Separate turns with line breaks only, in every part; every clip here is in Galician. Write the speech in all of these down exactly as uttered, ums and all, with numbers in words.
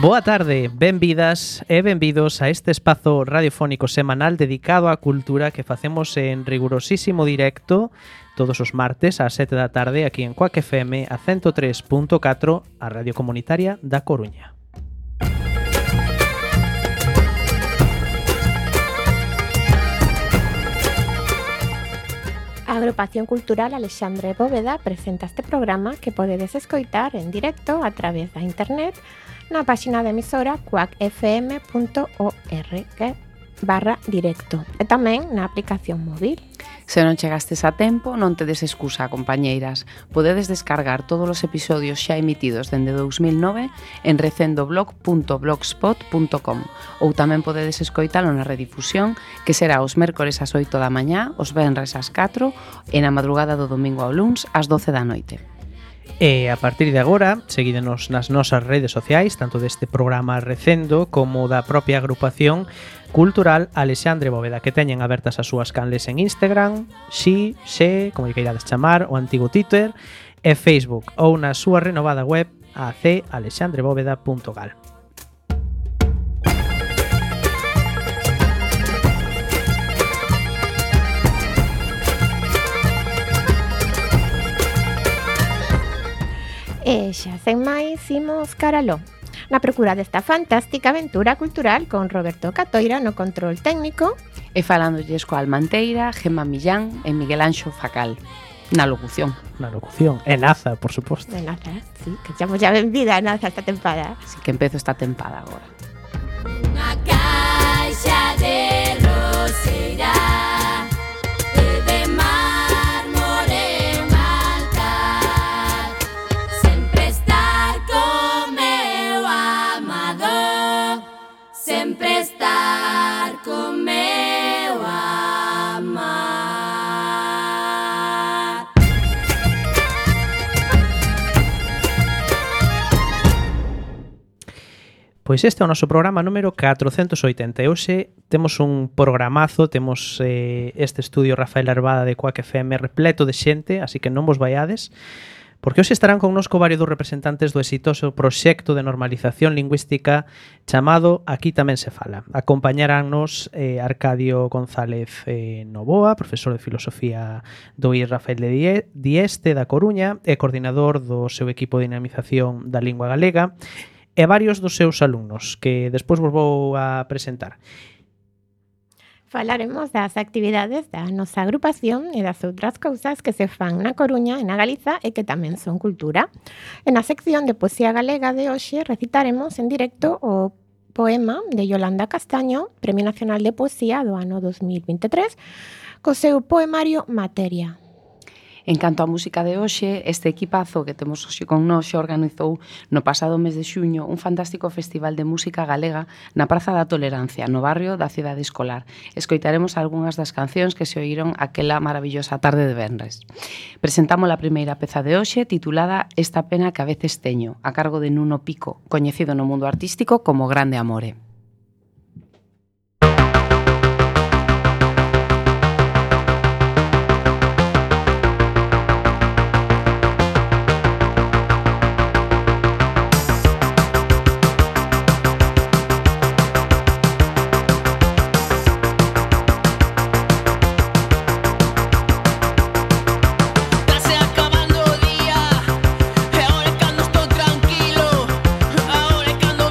Boa tarde, benvidas e benvidos a este espazo radiofónico semanal dedicado á cultura que facemos en rigurosísimo directo todos os martes ás sete da tarde aquí en Quack F M a ciento tres punto catro, a radio comunitaria da Coruña.
A Agrupación Cultural Alexandre Bóveda presenta este programa que podedes escoitar en directo a través da internet na páxina da emisora quack f m punto org barra directo e tamén na aplicación móvil.
Se non chegastes a tempo, non tedes excusa, compañeiras. Podedes descargar todos os episodios xa emitidos dende dous mil nove en recendoblog punto blogspot punto com ou tamén podedes escoitalo na redifusión, que será os mércores ás oito da mañá, os venres ás catro e na madrugada do domingo ao luns ás doce da noite.
E a partir de agora, seguídenos nas nosas redes sociais, tanto deste programa Recendo como da propia agrupación cultural Alexandre Bóveda, que teñen abertas as súas canles en Instagram, Xi, Xe, como lle queirades chamar, o antigo Twitter, e Facebook, ou na súa renovada web a c alexandre bóveda punto gal.
E xa sen máis, imos caraló. Na procura desta fantástica aventura cultural con Roberto Catoira no control técnico
e falándolles coa Almanteira, Gemma Millán e Miguel Anxo Facal na locución.
Na locución, e Naza, por suposto.
De Naza, sí, que chamo xa benvida a Naza esta tempada.
Así que empezo esta tempada agora.
Unha caixa de roseira sempre estar con meu amar.
Pois este é o noso programa número catrocentos e oitenta e hoxe temos un programazo, temos eh, este estudio Rafael Arbada de Quack F M repleto de xente, así que non vos vaiades, porque hoxe estarán connosco varios dos representantes do exitoso proxecto de normalización lingüística chamado Aquí tamén se fala. Acompañaránnos eh, Arcadio González eh, Novoa, profesor de Filosofía do I Rafael de Dieste da Coruña e coordinador do seu equipo de dinamización da lingua galega, e varios dos seus alumnos, que despois vos vou a presentar.
Falaremos das actividades da nosa agrupación e das outras cousas que se fan na Coruña e na Galiza e que tamén son cultura. E na sección de poesía galega de hoxe recitaremos en directo o poema de Yolanda Castaño, Premio Nacional de Poesía do ano dos mil vinte e tres, co seu poemario Materia.
En canto á música de hoxe, este equipazo que temos hoxe con nós xa organizou no pasado mes de xuño un fantástico festival de música galega na Praza da Tolerancia, no barrio da Cidade Escolar. Escoitaremos algunhas das cancións que se oíron aquela maravillosa tarde de venres. Presentamos a primeira peza de hoxe titulada Esta pena que a veces teño, a cargo de Nuno Pico, coñecido no mundo artístico como Grande Amore.
Ahora cando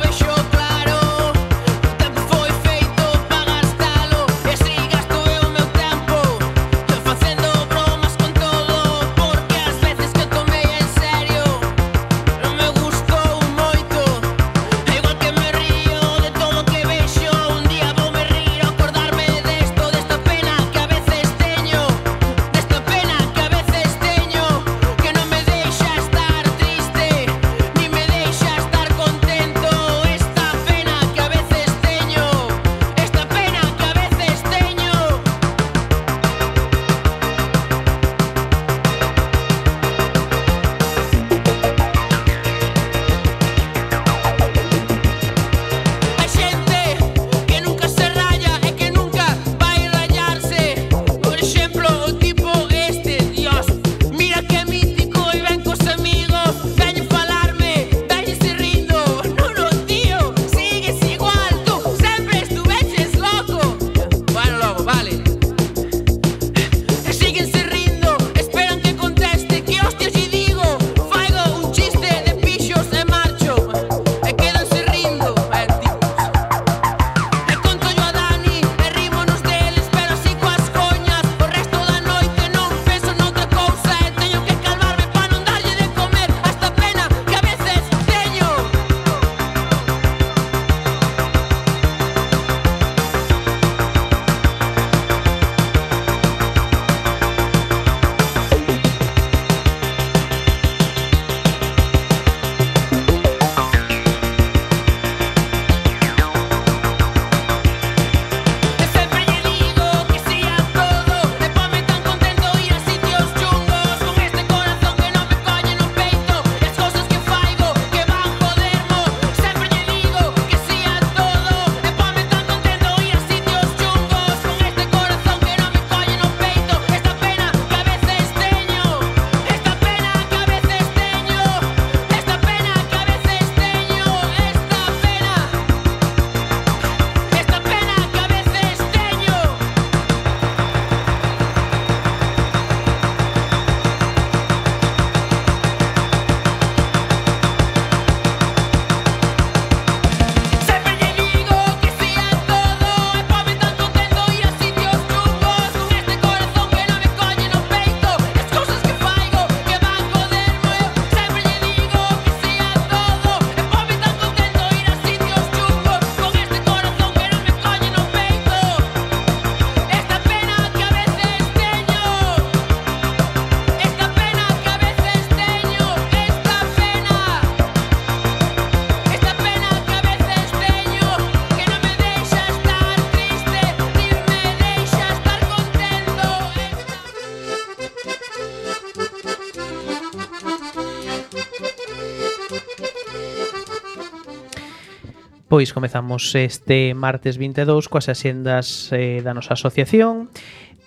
Pois comezamos este martes vinte e dous coas axendas eh, da nosa asociación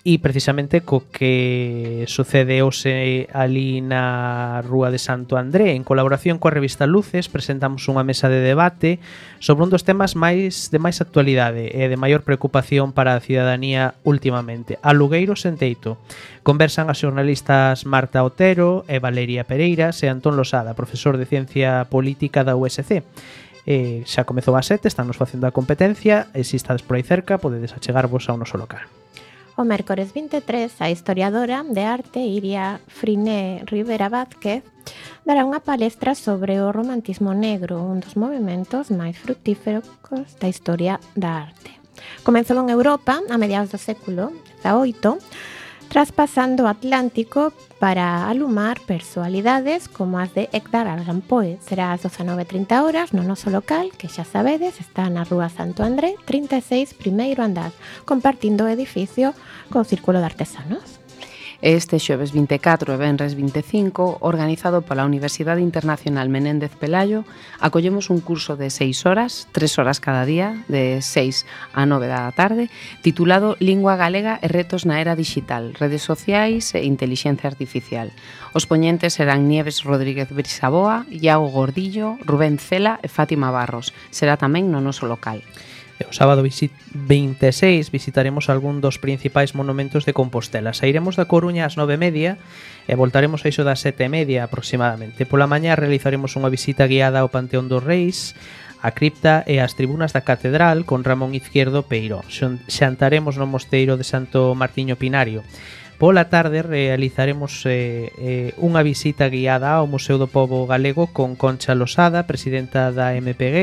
e precisamente co que sucede hoxe ali na Rúa de Santo André. En colaboración coa revista Luces presentamos unha mesa de debate sobre un dos temas máis de máis actualidade e de maior preocupación para a cidadanía últimamente: alugueiros en teito. Conversan as xornalistas Marta Otero e Valeria Pereiras e Antón Losada, profesor de Ciencia Política da U S C. Eh, xa comezou a sete, estamos facendo a competencia e se estades por aí cerca podedes achegarvos ao noso local.
O mércores vinte e tres, a historiadora de arte Iria Friné Rivera Vázquez dará unha palestra sobre o romantismo negro, un dos movimentos máis fructíferos da historia da arte. Comezou en Europa a mediados do século dezaoito, traspasando o Atlántico para alumar personalidades como as de Edgar Allan Poe. Será ás dezanove e trinta horas no noso local, que xa sabedes, está na Rúa Santo André, trinta e seis, primeiro andar, compartindo o edificio co Círculo de Artesanos.
Este xoves vinte e catro e venres vinte e cinco, organizado pola Universidade Internacional Menéndez Pelayo, acollemos un curso de seis horas, tres horas cada día, de seis a nove da tarde, titulado Lingua Galega e retos na era digital, redes sociais e intelixencia artificial. Os poñentes serán Nieves Rodríguez Brisaboa, Iago Gordillo, Rubén Cela e Fátima Barros. Será tamén no noso local.
E o sábado vinte e seis visitaremos algún dos principais monumentos de Compostela. Sairemos da Coruña ás nove e media e voltaremos a iso das sete e media aproximadamente. Pola mañá realizaremos unha visita guiada ao Panteón dos Reis, a cripta e as tribunas da Catedral con Ramón Izquierdo Peiró. Xantaremos no mosteiro de Santo Martiño Pinario. Pola tarde realizaremos eh, eh, unha visita guiada ao Museo do Pobo Galego con Concha Losada, presidenta da M P G,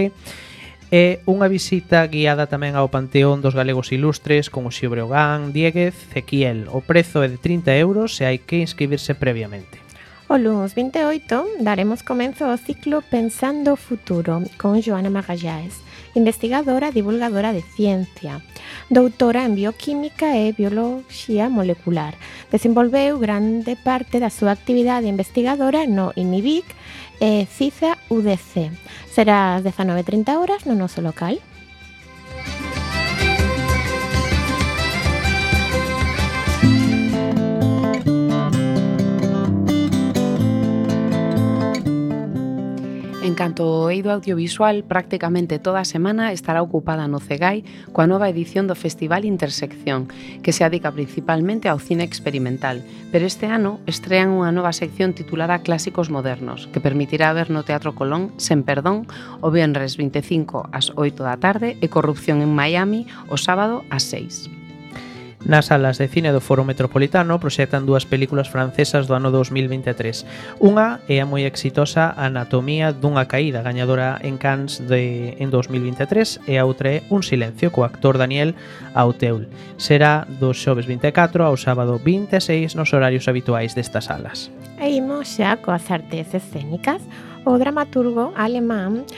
e unha visita guiada tamén ao Panteón dos Galegos Ilustres con Uxío Breogán, Dieguez, Ezequiel. O prezo é de trinta euros e hai que inscribirse previamente.
O lunes vinte e oito daremos comenzo ao ciclo Pensando o Futuro con Joana Magalláes, investigadora e divulgadora de ciencia, doutora en bioquímica e bioloxía molecular. Desenvolveu grande parte da súa actividade investigadora no INIBIC e CISA U D C. Será ás dezanove e trinta horas no noso local.
En canto ao eido audiovisual, prácticamente toda a semana estará ocupada no Cegai coa nova edición do Festival Intersección, que se adica principalmente ao cine experimental, pero este ano estrean unha nova sección titulada Clásicos Modernos, que permitirá ver no Teatro Colón Sen Perdón o venres vinte e cinco ás oito da tarde e Corrupción en Miami o sábado ás seis.
Nas salas de cine do Foro Metropolitano proxectan dúas películas francesas do ano dos mil vinte e tres. Unha é a moi exitosa Anatomía dunha caída, gañadora en Cannes de, en dos mil vinte e tres, e a outra é Un silencio, co actor Daniel Auteuil. Será do xoves vinte e catro ao sábado vinte e seis nos horarios habituais destas salas.
E imos xa coas artes escénicas. O dramaturgo alemán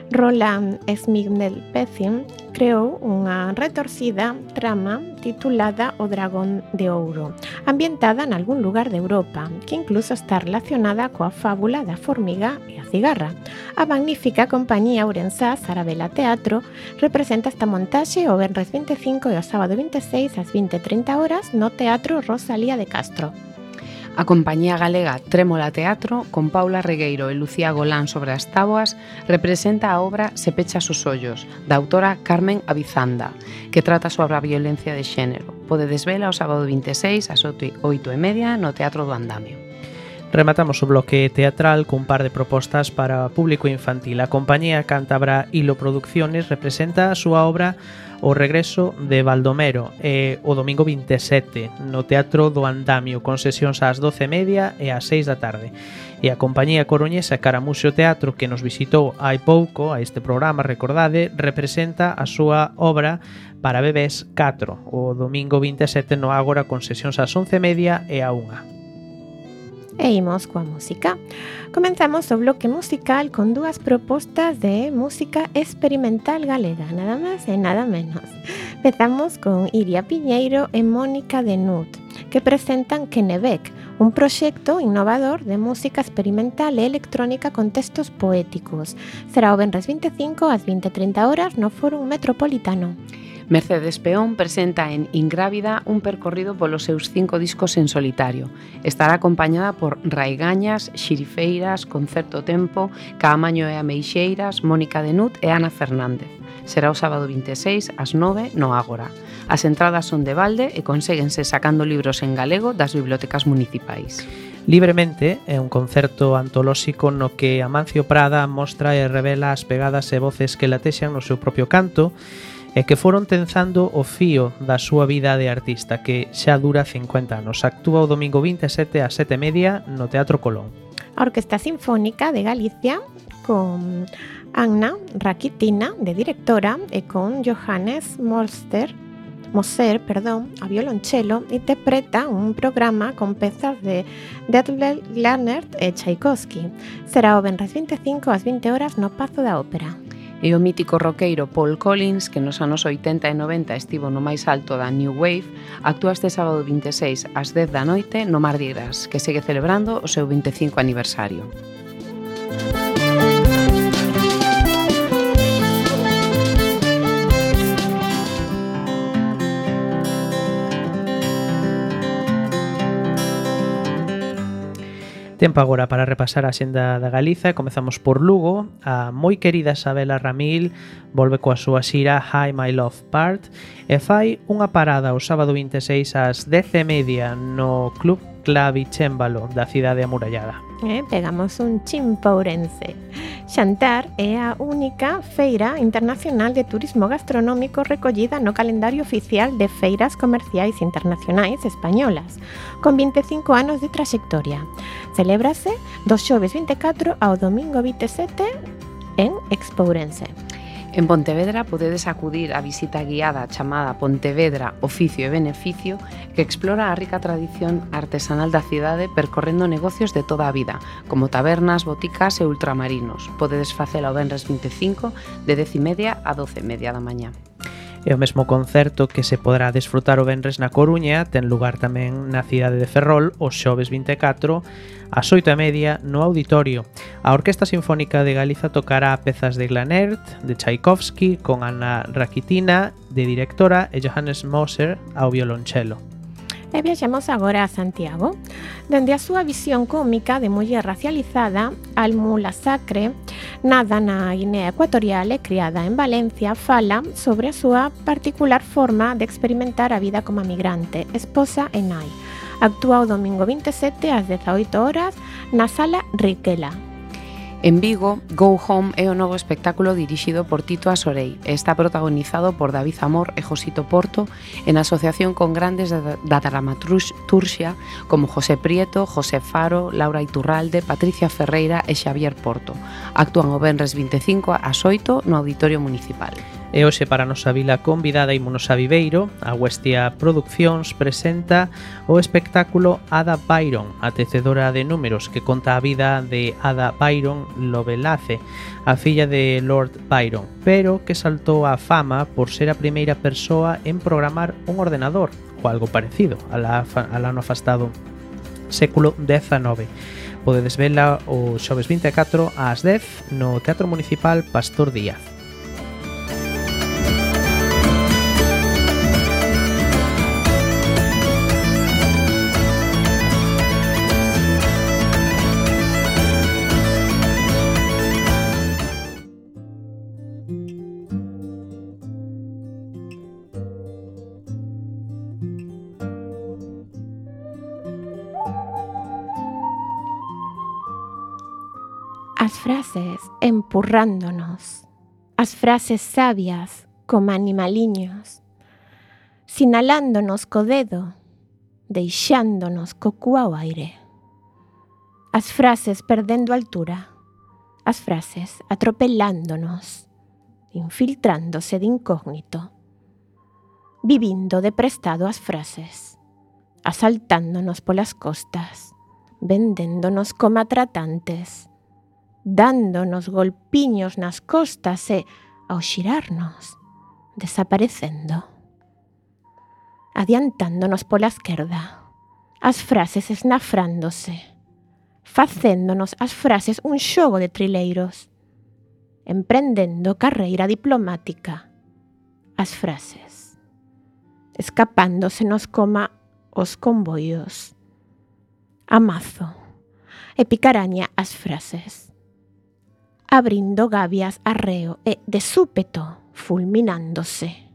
Roland Schmidt-Pessin creou unha retorcida trama titulada O Dragón de Ouro, ambientada nalgún lugar de Europa, que incluso está relacionada coa fábula da formiga e a cigarra. A magnífica compañía ourensá Sarabela Teatro representa esta montaxe o venres vinte e cinco e o sábado vinte e seis ás vinte e trinta horas no Teatro Rosalía de Castro.
A compañía galega Trémola Teatro, con Paula Regueiro e Lucía Golán sobre as táboas, representa a obra Se pechas os ollos, da autora Carmen Avizanda, que trata sobre a violencia de xénero. Podedes vela o sábado vinte e seis ás oito e media no Teatro do Andamio.
Rematamos o bloque teatral cun par de propostas para público infantil. A compañía cántabra Hilo Producciones representa a súa obra O regreso de Baldomero e o domingo vinte e sete no Teatro do Andamio con sesións ás doce e media e ás seis da tarde. E a compañía coruñesa Caramuxo Teatro, que nos visitou hai pouco a este programa, recordade, representa a súa obra para bebés catro o domingo vinte e sete no Ágora con sesións ás once e media e a unha.
E imos coa música. Comenzamos o bloque musical con dúas propostas de música experimental galega, nada máis e nada menos. Empezamos con Iria Piñeiro e Mónica de Nut. que presentan Kennebec, un proxecto innovador de música experimental e electrónica con textos poéticos. Será o venres vinte e cinco ás vinte e trinta horas no Fórum Metropolitano.
Mercedes Peón presenta en Ingrávida un percorrido polos seus cinco discos en solitario. Estará acompañada por Raigañas, Xirifeiras, Concerto Tempo, Caamaño e Ameixeiras, Mónica Denut e Ana Fernández. Será o sábado vinte e seis ás nove no Ágora. As entradas son de balde e conséguense sacando libros en galego das bibliotecas municipais.
Libremente é un concerto antolóxico no que Amancio Prada mostra e revela as pegadas e voces que latexan no seu propio canto e que foron tenzando o fío da súa vida de artista, que xa dura cincuenta anos. Actúa o domingo vinte e sete ás sete e media no Teatro Colón.
A Orquesta Sinfónica de Galicia con Anna Rakitina de directora e con Johannes Moser, Moser, perdón, a violonchelo, interpreta un programa con pezas de Detlef Glarner e Tchaikovsky. Será o venres vinte e cinco ás vinte horas no Pazo da Ópera.
E o mítico roqueiro Paul Collins, que nos anos oitenta e noventa estivo no máis alto da New Wave, actúa este sábado vinte e seis ás dez da noite no Mardi Gras, que segue celebrando o seu vinte e cinco aniversario.
Tempo agora para repasar a xenda da Galiza. Comezamos por Lugo. A moi querida Isabela Ramil volve coa súa xira Hi My Love Part e fai unha parada o sábado vinte e seis ás dez e media no Club Clavicémbalo da cidade amurallada.
Eh, pegamos un chimpourense. Xantar é a única feira internacional de turismo gastronómico recollida no calendario oficial de feiras comerciais internacionais españolas, con vinte e cinco anos de traxectoria. Celébrase do xoves vinte e catro ao domingo vinte e sete en Expourense.
En Pontevedra podedes acudir á visita guiada chamada Pontevedra, Oficio e Beneficio, que explora a rica tradición artesanal da cidade percorrendo negocios de toda a vida, como tabernas, boticas e ultramarinos. Podedes facela o venres vinte e cinco de dez e media a doce e media da mañá.
E o mesmo concerto que se poderá desfrutar o venres na Coruña ten lugar tamén na cidade de Ferrol o xoves vinte e catro ás oito e media no Auditorio. A Orquesta Sinfónica de Galiza tocará pezas de Glanert, de Tchaikovsky, con Anna Rakitina de directora e Johannes Moser ao violonchelo.
E viaxamos agora a Santiago. Dende a súa visión cómica de muller racializada, Almula Sacre, nada na Guinea Ecuatorial e criada en Valencia, fala sobre a súa particular forma de experimentar a vida como migrante, esposa e nai. Actúa o domingo vinte e sete ás dezaoito horas na Sala Riquela.
En Vigo, Go Home é o novo espectáculo dirixido por Tito Asorei e está protagonizado por David Zamor e Josito Porto en asociación con grandes da dramaturxia como José Prieto, José Faro, Laura Iturralde, Patricia Ferreira e Xavier Porto. Actúan o venres vinte e cinco ás oito no Auditorio Municipal.
E hoxe para a nosa vila convidada ímonos a Viveiro. A Huestia Produccións presenta o espectáculo Ada Byron, a tecedora de números, que conta a vida de Ada Byron Lovelace, a filla de Lord Byron, pero que saltou á fama por ser a primeira persoa en programar un ordenador, ou algo parecido, al ano afastado século dezanove. Podedes vela o xoves vinte e catro ás dez no Teatro Municipal Pastor Díaz.
As frases empurrándonos, as frases sabias como animaliños, sinalándonos co dedo, deixándonos co cu ao aire. As frases perdendo altura, as frases atropelándonos, infiltrándose de incógnito, vivindo de prestado as frases, asaltándonos polas costas, vendéndonos como tratantes, dándonos golpiños nas costas e, ao xirarnos, desaparecendo. Adiantándonos pola esquerda, as frases esnafrándose, facéndonos as frases un xogo de trileiros, emprendendo carreira diplomática, as frases, escapándosenos coma os convoios, a mazo, e picaraña as frases, abrindo gabias arreo e, de súpeto, fulminándose.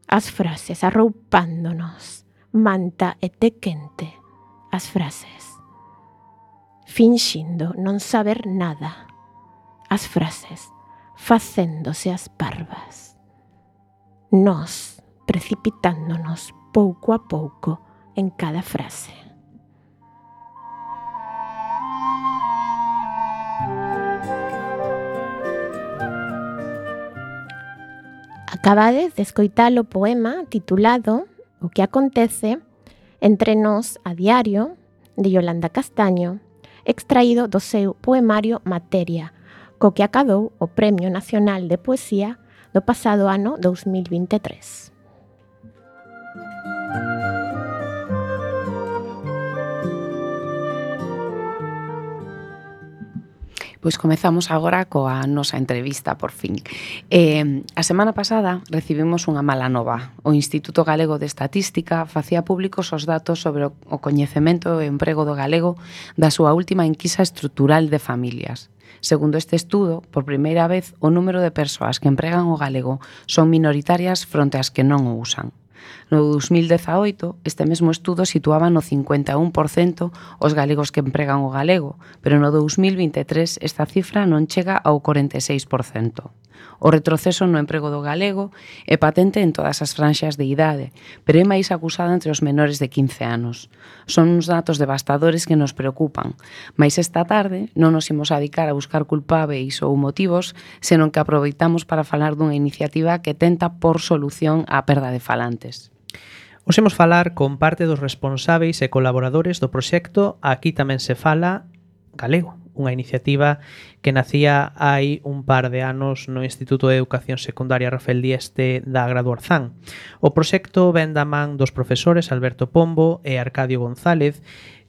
As frases arroupándonos, manta e té quente, as frases, finxindo non saber nada, as frases, facéndose as parvas. Nós, precipitándonos pouco a pouco en cada frase. Acabades de escoitar o poema titulado O que acontece entre nós a diario, de Yolanda Castaño, extraído do seu poemario Materia, co que acadou o Premio Nacional de Poesía do pasado ano dous mil vinte e tres.
Pois comezamos agora coa nosa entrevista, por fin. Eh, a semana pasada recibimos unha mala nova. O Instituto Galego de Estatística facía públicos os datos sobre o coñecemento e o emprego do galego da súa última enquisa estrutural de familias. Segundo este estudo, por primeira vez, o número de persoas que empregan o galego son minoritarias fronte ás que non o usan. No dos mil dezaoito, este mesmo estudo situaba no cincuenta e un por cento os galegos que empregan o galego, pero no dos mil vinte e tres esta cifra non chega ao corenta e seis por cento. O retroceso no emprego do galego é patente en todas as franxas de idade, pero é máis acusado entre os menores de quince anos. Son uns datos devastadores que nos preocupan, mas esta tarde non nos imos a dedicar a buscar culpáveis ou motivos, senón que aproveitamos para falar dunha iniciativa que tenta por solución á perda de falantes.
Os imos falar con parte dos responsáveis e colaboradores do proxecto Aquí tamén se fala galego, unha iniciativa que nacía hai un par de anos no Instituto de Educación Secundaria Rafael Dieste da Grado Orzán. O proxecto ven da man dos profesores Alberto Pombo e Arcadio González,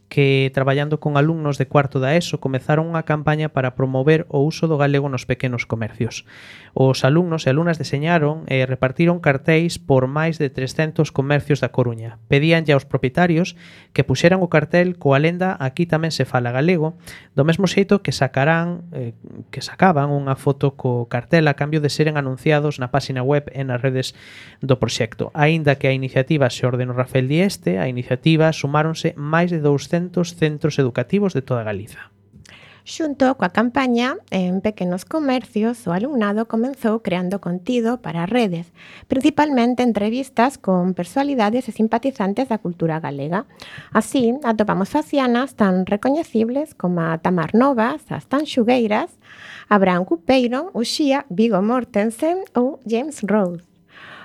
que, traballando con alumnos de cuarto da ESO, comezaron unha campaña para promover o uso do galego nos pequenos comercios. Os alumnos e alumnas deseñaron e repartiron cartéis por máis de trescentos comercios da Coruña. Pedíanlle aos propietarios que puxeran o cartel coa lenda Aquí tamén se fala galego, do mesmo xeito que sacarán eh, que sacaban unha foto co cartel a cambio de seren anunciados na páxina web e nas redes do proxecto. Aínda que a iniciativa se ordenou Rafael Dieste, a iniciativa sumáronse máis de douscentos centros educativos de toda Galiza.
Xunto coa campaña, en pequenos comercios, o alumnado comenzou creando contido para redes, principalmente entrevistas con personalidades e simpatizantes da cultura galega. Así, atopamos facianas tan recoñecibles como a Tamar Novas, as Tanxugueiras, Abraham Cupeiro, Uxía, Viggo Mortensen ou James Rhodes.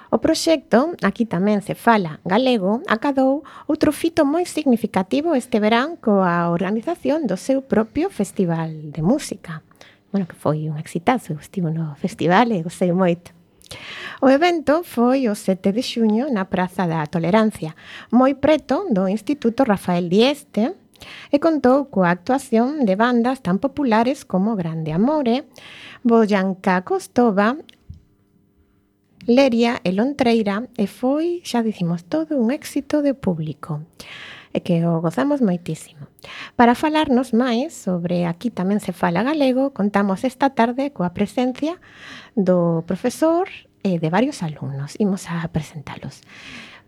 O proxecto Aquí tamén se fala galego acadou outro fito moi significativo este verán coa organización do seu propio festival de música. Bueno, que foi un exitazo, estivo no festival e gostei moito. O evento foi o sete de xuño na Praza da Tolerancia, moi preto do Instituto Rafael Dieste, e contou coa actuación de bandas tan populares como Grande Amore, Boyanca Costova, Leria e Lontreira, e foi, xa dicimos, todo un éxito de público, e que o gozamos moitísimo. Para falarnos máis sobre Aquí tamén se fala galego, contamos esta tarde coa presencia do profesor e de varios alumnos. Imos a presentalos.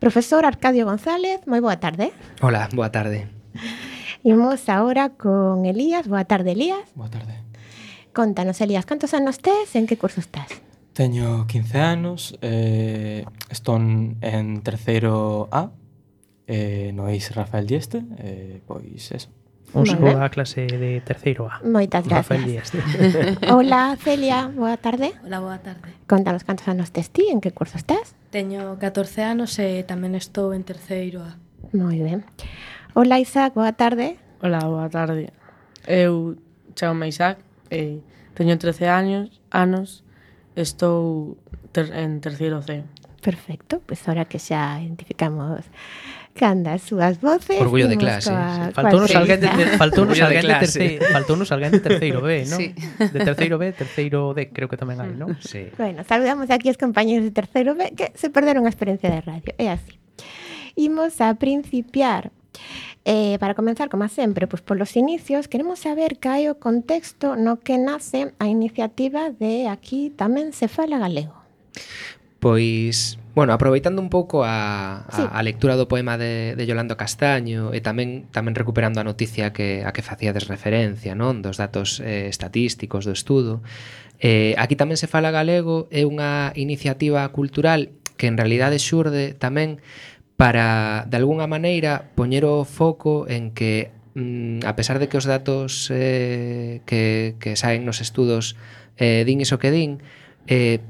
Profesor Arcadio González, moi boa tarde.
Hola, boa tarde.
Imos agora con Elías. Boa tarde, Elías.
Boa tarde.
Contanos, Elías, cantos anos tes e en que curso estás?
Teño quince anos, eh, estou en terceiro A, eh, no Eis Rafael Dieste, eh, pois eso.
Un saludo á clase de terceiro A.
Moitas gracias.
Rafael Dieste.
Hola, Celia, boa tarde.
Hola, boa tarde.
Contanos cantos anos tes ti, en que curso estás?
Teño catorce anos e tamén estou en terceiro A.
Moi ben. Hola, Isaac, boa tarde.
Hola, boa tarde. Eu chamo Isaac e teño trece anos, anos estou ter, en terceiro C.
Perfecto, pois pues ahora que xa identificamos canda as súas voces.
Orgullo de
imos
clase.
coa-
Sí, faltounos
coa
alguén de,
entrevista.
te- faltounos
Orgullo de
alguén de
clase.
terceiro, faltounos alguén de terceiro B, ¿no?
Sí.
De terceiro B, terceiro D, creo que tamén hai, ¿no?
Sí.
Bueno, saludamos aquí aos compañeros de terceiro B que se perderon a experiencia de radio. É así. Imos a principiar. Eh, para comenzar, como sempre, pois polos inicios, queremos saber que hai o contexto no que nace a iniciativa de Aquí tamén se fala galego.
Pois, bueno, aproveitando un pouco a, a,
Sí.
a lectura do poema de, de Yolanda Castaño e tamén tamén recuperando a noticia que a que facíades referencia, non, dos datos eh, estatísticos do estudo. Eh, Aquí tamén se fala galego é unha iniciativa cultural que en realidade xurde tamén para, de algunha maneira, poñer o foco en que, mm, a pesar de que os datos eh, que, que saen nos estudos eh, din iso que din, eh,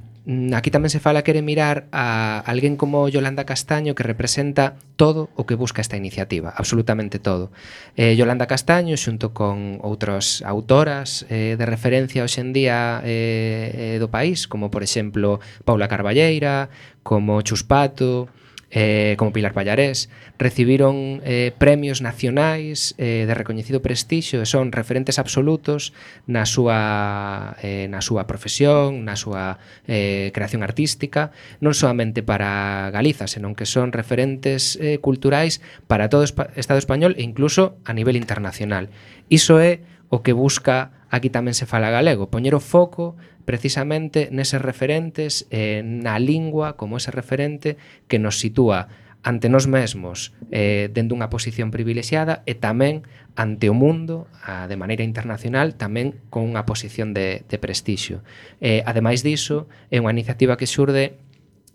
aquí tamén se fala quere mirar a alguén como Yolanda Castaño que representa todo o que busca esta iniciativa, absolutamente todo. Eh, Yolanda Castaño, xunto con outras autoras eh, de referencia hoxe en día eh, eh, do país, como por exemplo Paula Carballeira, como Chus Pato, eh, como Pilar Pallarés, recibiron eh, premios nacionais eh, de recoñecido prestixio e son referentes absolutos na súa, eh, na súa profesión, na súa eh, creación artística, non solamente para Galiza, senón que son referentes eh, culturais para todo o Estado español e incluso a nivel internacional. Iso é o que busca Aquí tamén se fala galego, poñer o foco precisamente neses referentes, eh, na lingua como ese referente que nos sitúa ante nós mesmos eh, dentro dunha posición privilexiada e tamén ante o mundo a, de maneira internacional tamén con unha posición de, de prestixio. Eh, ademais diso, é unha iniciativa que xurde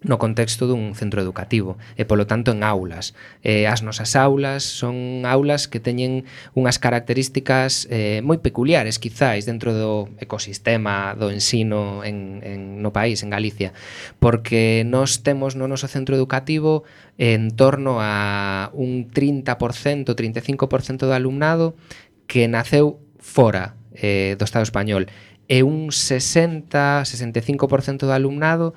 no contexto dun centro educativo e polo tanto en aulas. Eh, as nosas aulas son aulas que teñen unhas características eh, moi peculiares quizáis dentro do ecosistema do ensino en, en, no país, en Galicia, porque nós temos no noso centro educativo en torno a un trinta por cento, trinta e cinco por cento do alumnado que naceu fora eh, do Estado español e un sesenta, sesenta e cinco por cento do alumnado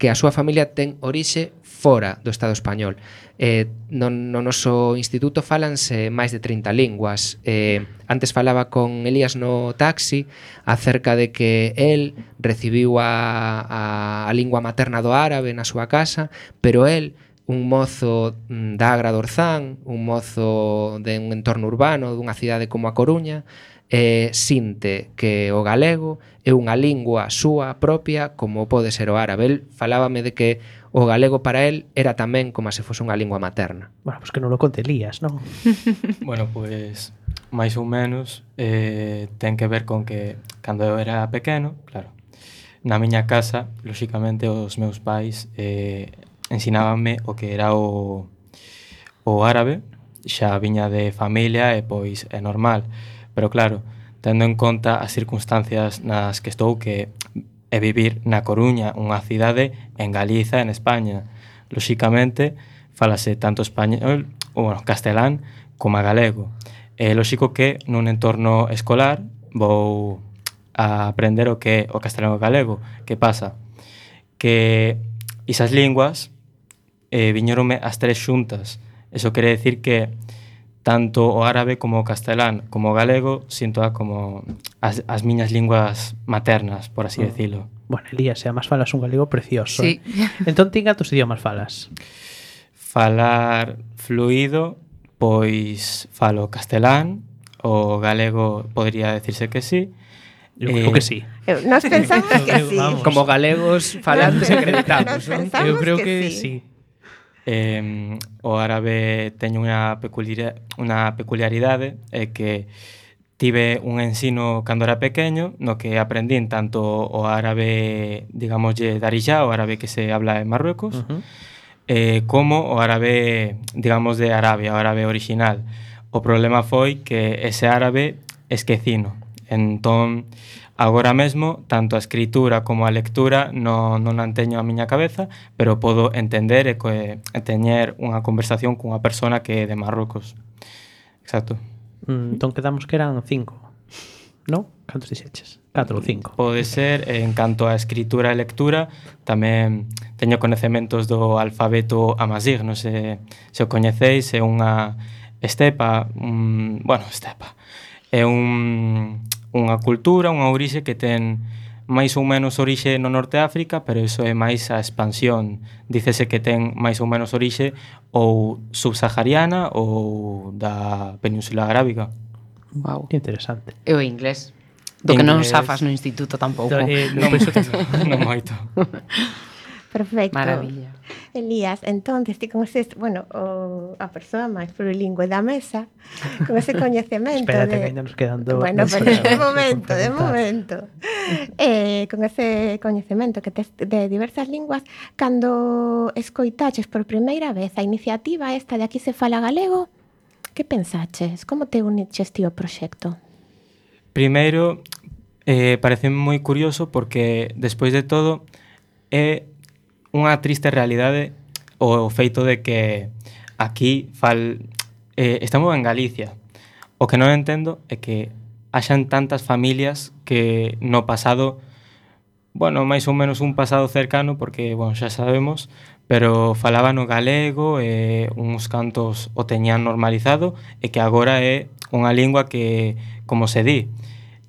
que a súa familia ten orixe fora do Estado español. Eh, no, no noso instituto fálanse máis de trinta linguas. Eh, antes falaba con Elías no taxi acerca de que el recibiu a, a, a lingua materna do árabe na súa casa, pero el, un mozo da Agra do Orzán, un mozo de un entorno urbano, dunha cidade como a Coruña, eh, sinte que o galego é unha lingua súa propia como pode ser o árabe. El falábame de que o galego para el era tamén como se fose unha lingua materna.
Bueno, pues que non lo conte Elías, non?
Bueno, pois, máis ou menos, eh, ten que ver con que, cando eu era pequeno, claro, na miña casa, lóxicamente, os meus pais eh, ensinábanme o que era o, o árabe, xa viña de familia e pois é normal. Pero claro, tendo en conta as circunstancias nas que estou, que é vivir na Coruña, unha cidade en Galiza, en España. Lóxicamente, falase tanto español, ou bueno, castelán, como galego. É lóxico que nun entorno escolar vou a aprender o que é o castelán e o galego. Que pasa? Que esas linguas eh, viñeronme as tres xuntas. Eso quere decir que tanto o árabe como o castelán como o galego sinto como as, as miñas linguas maternas, por así decirlo.
Bueno, Elías, e además falas un galego precioso.
Sí.
Eh? Entón, ti cantos idiomas falas?
Falar fluido, pois falo castelán, o galego podría decirse que sí.
Eu creo
Eh,
que sí.
Eu, nos pensamos que
Eu-
sí.
vamos.
Como galegos falantes acreditamos,
Nos
non?
pensamos
Eu creo
que
que,
sí.
sí.
Eh, o árabe teñe unha peculiar, unha peculiaridade é que tive un ensino cando era pequeño no que aprendín tanto o árabe, digamoslle, darija, o árabe que se habla en Marruecos,
Uh-huh.
eh, como o árabe, digamos, de Arabia, o árabe original. O problema foi que ese árabe esquecino. Entón, agora mesmo, tanto a escritura como a lectura non, non a teño a miña cabeza, pero podo entender e, co- e teñer unha conversación cunha persona que é de Marrocos. Exacto.
Mm, entón quedamos que eran cinco. non? Cantos dixeches? catro ou cinco.
Pode ser, en canto a escritura e lectura, tamén teño coñecementos do alfabeto amazigh, non sei se o coñeceis, é unha estepa, un, bueno, estepa, é un, unha cultura, unha orixe que ten máis ou menos orixe no Norte de África, pero iso é máis a expansión. Dícese que ten máis ou menos orixe ou subsahariana ou da Península Arábiga.
Wow.
Que interesante.
E o inglés. Do que non
Inglés.
safas no instituto tampouco.
Eh,
Non, non moito.
Perfecto.
Maravilla.
Elías, entonces, ti con ese, bueno, o, a persoa máis plurilingüe da mesa, con ese coñecemento
Espérate,
de...
que ainda nos quedan do...
Bueno,
dos
pero de
programas
momento,
por
de
preguntar.
momento. Eh, con ese coñecemento que tes de diversas linguas, cando escoitaches por primeira vez a iniciativa esta de Aquí se fala galego, que pensaches? Como te uniches ti ao proxecto?
Primeiro, eh, parece moi curioso porque, despois de todo, é unha triste realidade o feito de que aquí fal, eh, estamos en Galicia. O que non entendo é que haxan tantas familias que no pasado, bueno, máis ou menos un pasado cercano, porque, bueno, xa sabemos, pero falaban o galego e uns cantos o teñan normalizado e que agora é unha lingua que, como se di,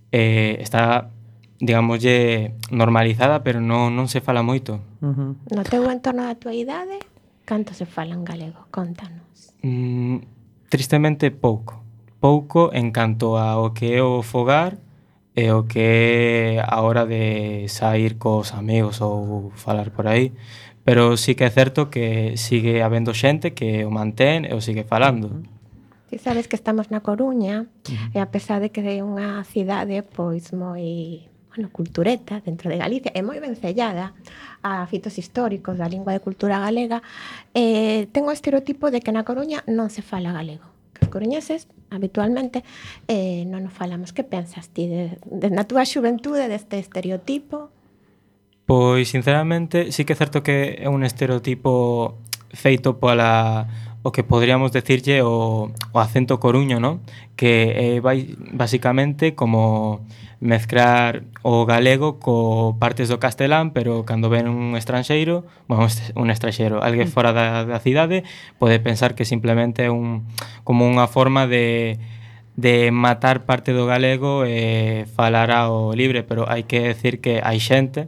eh, está, digamoslle, normalizada, pero non, non se fala moito.
Uh-huh.
No teu entorno da tua idade, canto se fala en galego? Contanos.
Mm, tristemente pouco. Pouco en canto ao que é o fogar e o que é a hora de sair cos amigos ou falar por aí. Pero sí que é certo que sigue habendo xente que o mantén e o sigue falando.
Ti sabes que estamos na Coruña, uh-huh. e a pesar de que é unha cidade pois moi, bueno, cultureta dentro de Galicia, é moi vencellada a fitos históricos da lingua de cultura galega, eh, ten o estereotipo de que na Coruña non se fala galego. Que os coruñeses, habitualmente, eh, non o falamos. Que pensas ti de, de, na túa xuventude deste estereotipo?
Pois, sinceramente, sí que é certo que é un estereotipo feito pola o que podríamos decirlle o, o acento coruño, ¿no? Que é vai, basicamente como mezclar o galego co partes do castelán, pero cando ven un estranxeiro, bueno, un estranxeiro, alguén fora da, da cidade, pode pensar que simplemente é un, como unha forma de de matar parte do galego e falar ao libre, pero hai que decir que hai xente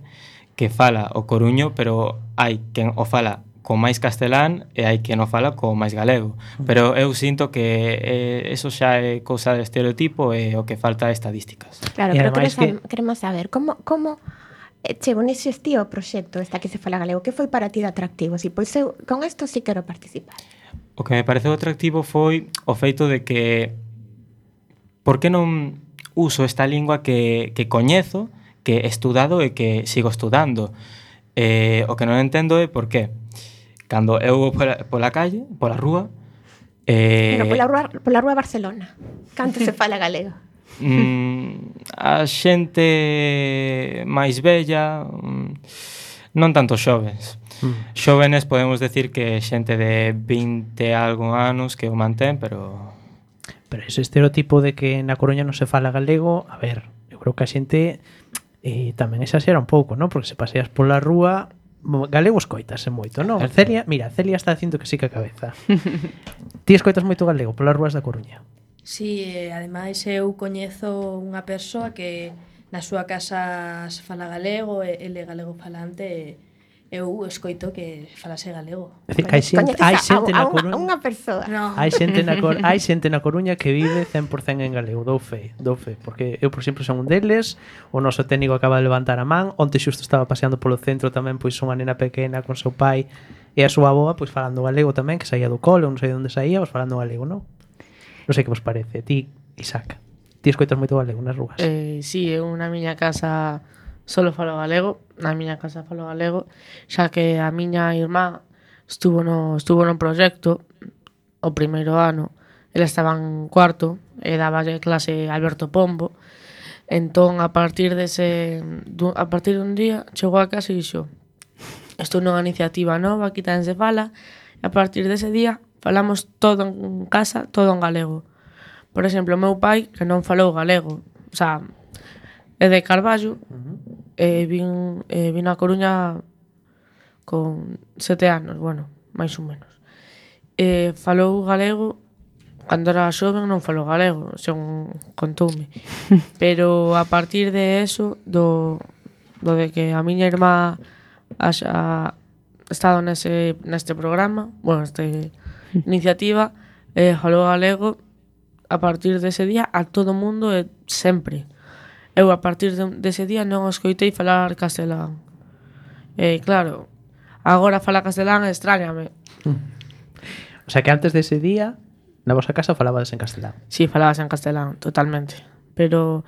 que fala o coruño, pero hai quen o fala co máis castelán e hai quen o fala co máis galego. Pero eu sinto que eh, eso xa é cousa de estereotipo e o que falta é estadísticas.
Claro,
E
pero
ademais
queremos,
que-
queremos saber como, como eh, che unixes ti ao proxecto esta que se fala galego. Que foi para ti de atractivo? Si, pois eu con isto sí quero participar.
O que me pareceu atractivo foi o feito de que por que non uso esta lingua que, que coñezo, que he estudado e que sigo estudando. Eh, o que non entendo é por qué. Cando eu vou pola, pola calle, pola rúa, eh,
Pero pola rúa, pola rúa Barcelona, canto se fala galego?
mm, a xente máis bella, mm, non tanto xovens.
Mm.
Xóvenes podemos decir que xente de vinte e algo anos que o mantén, pero
Pero ese estereotipo de que na Coruña non se fala galego, a ver, eu creo que a xente eh, tamén exagera un pouco, non? Porque se paseas pola rúa, mo- galego escoitase moito, non?
Certo.
Celia, mira, Celia está dicindo que sí que a cabeza. Ti escoitas moito galego polas rúas da Coruña?
Sí, e ademais eu coñezo unha persoa que na súa casa se fala galego, e ele é galego falante, e eu escoito que falase galego.
É dicir, que hai xente,
Coñeces
hai
a-
xente
a,
na
a, unha,
Coruña...
a unha persoa.
No.
Hai xente na Cor hai xente na Coruña que vive cen por cento en galego, dou fe, dou fe, porque eu, por exemplo, son un deles, o noso técnico acaba de levantar a man, onte xusto estaba paseando polo centro tamén pois unha nena pequena con seu pai e a súa avoa pois falando galego tamén, que saía do cole, non sei onde saía, pois falando galego, non? Non sei que vos parece, ti, Isaac, ti escoitas moito galego nas rúas?
Eh, sí, eu na miña casa solo falo galego, na miña casa falo galego, xa que a miña irmá estuvo no, estuvo no proxecto o primeiro ano, ela estaba en cuarto e daballe clase Alberto Pombo, entón a partir dese, du- a partir dun día chegou a casa e dixo: "Isto é unha iniciativa nova, aquí tamén se fala", e a partir dese día falamos todo en casa, todo en galego. Por exemplo, o meu pai, que non falou galego, o sea, é de Carballo, uh-huh. e vin, e vin a Coruña con sete anos, bueno, máis ou menos. E falou galego, cando era xoven non falou galego, según contoume. Pero a partir de eso, do, do de que a miña irmá ha estado nese, neste programa, bueno, neste iniciativa, eh, falou galego, a partir dese día a todo mundo e sempre. Eu a partir de, dese día non escoitei falar castelán. E claro, agora falar castelán extrañame.
O sea que antes dese día na vosa casa falabades en castelán.
Sí, falabas en castelán, totalmente. Pero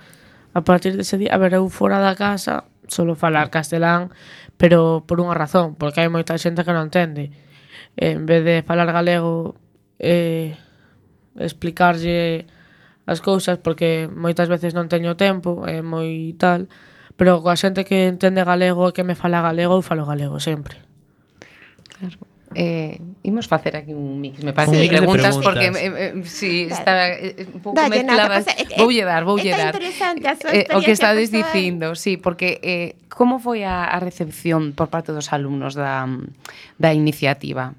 a partir dese día, a ver, eu fora da casa solo falar castelán, pero por unha razón, porque hai moita xente que non entende. En vez de falar galego, eh, explicarlle as cousas, porque moitas veces non teño tempo, é moi tal, pero coa xente que entende galego e que me fala galego, eu falo galego sempre.
Claro. Eh, imos facer aquí un mix, me parece,
de
preguntas,
preguntas,
porque eh, eh, si claro. Está eh, un pouco
Dalle,
mezcladas.
No,
voulle dar, voulle dar.
Interesante a súa
eh, o que estades
persoal.
dicindo, sí, porque eh, como foi a, a recepción por parte dos alumnos da, da iniciativa?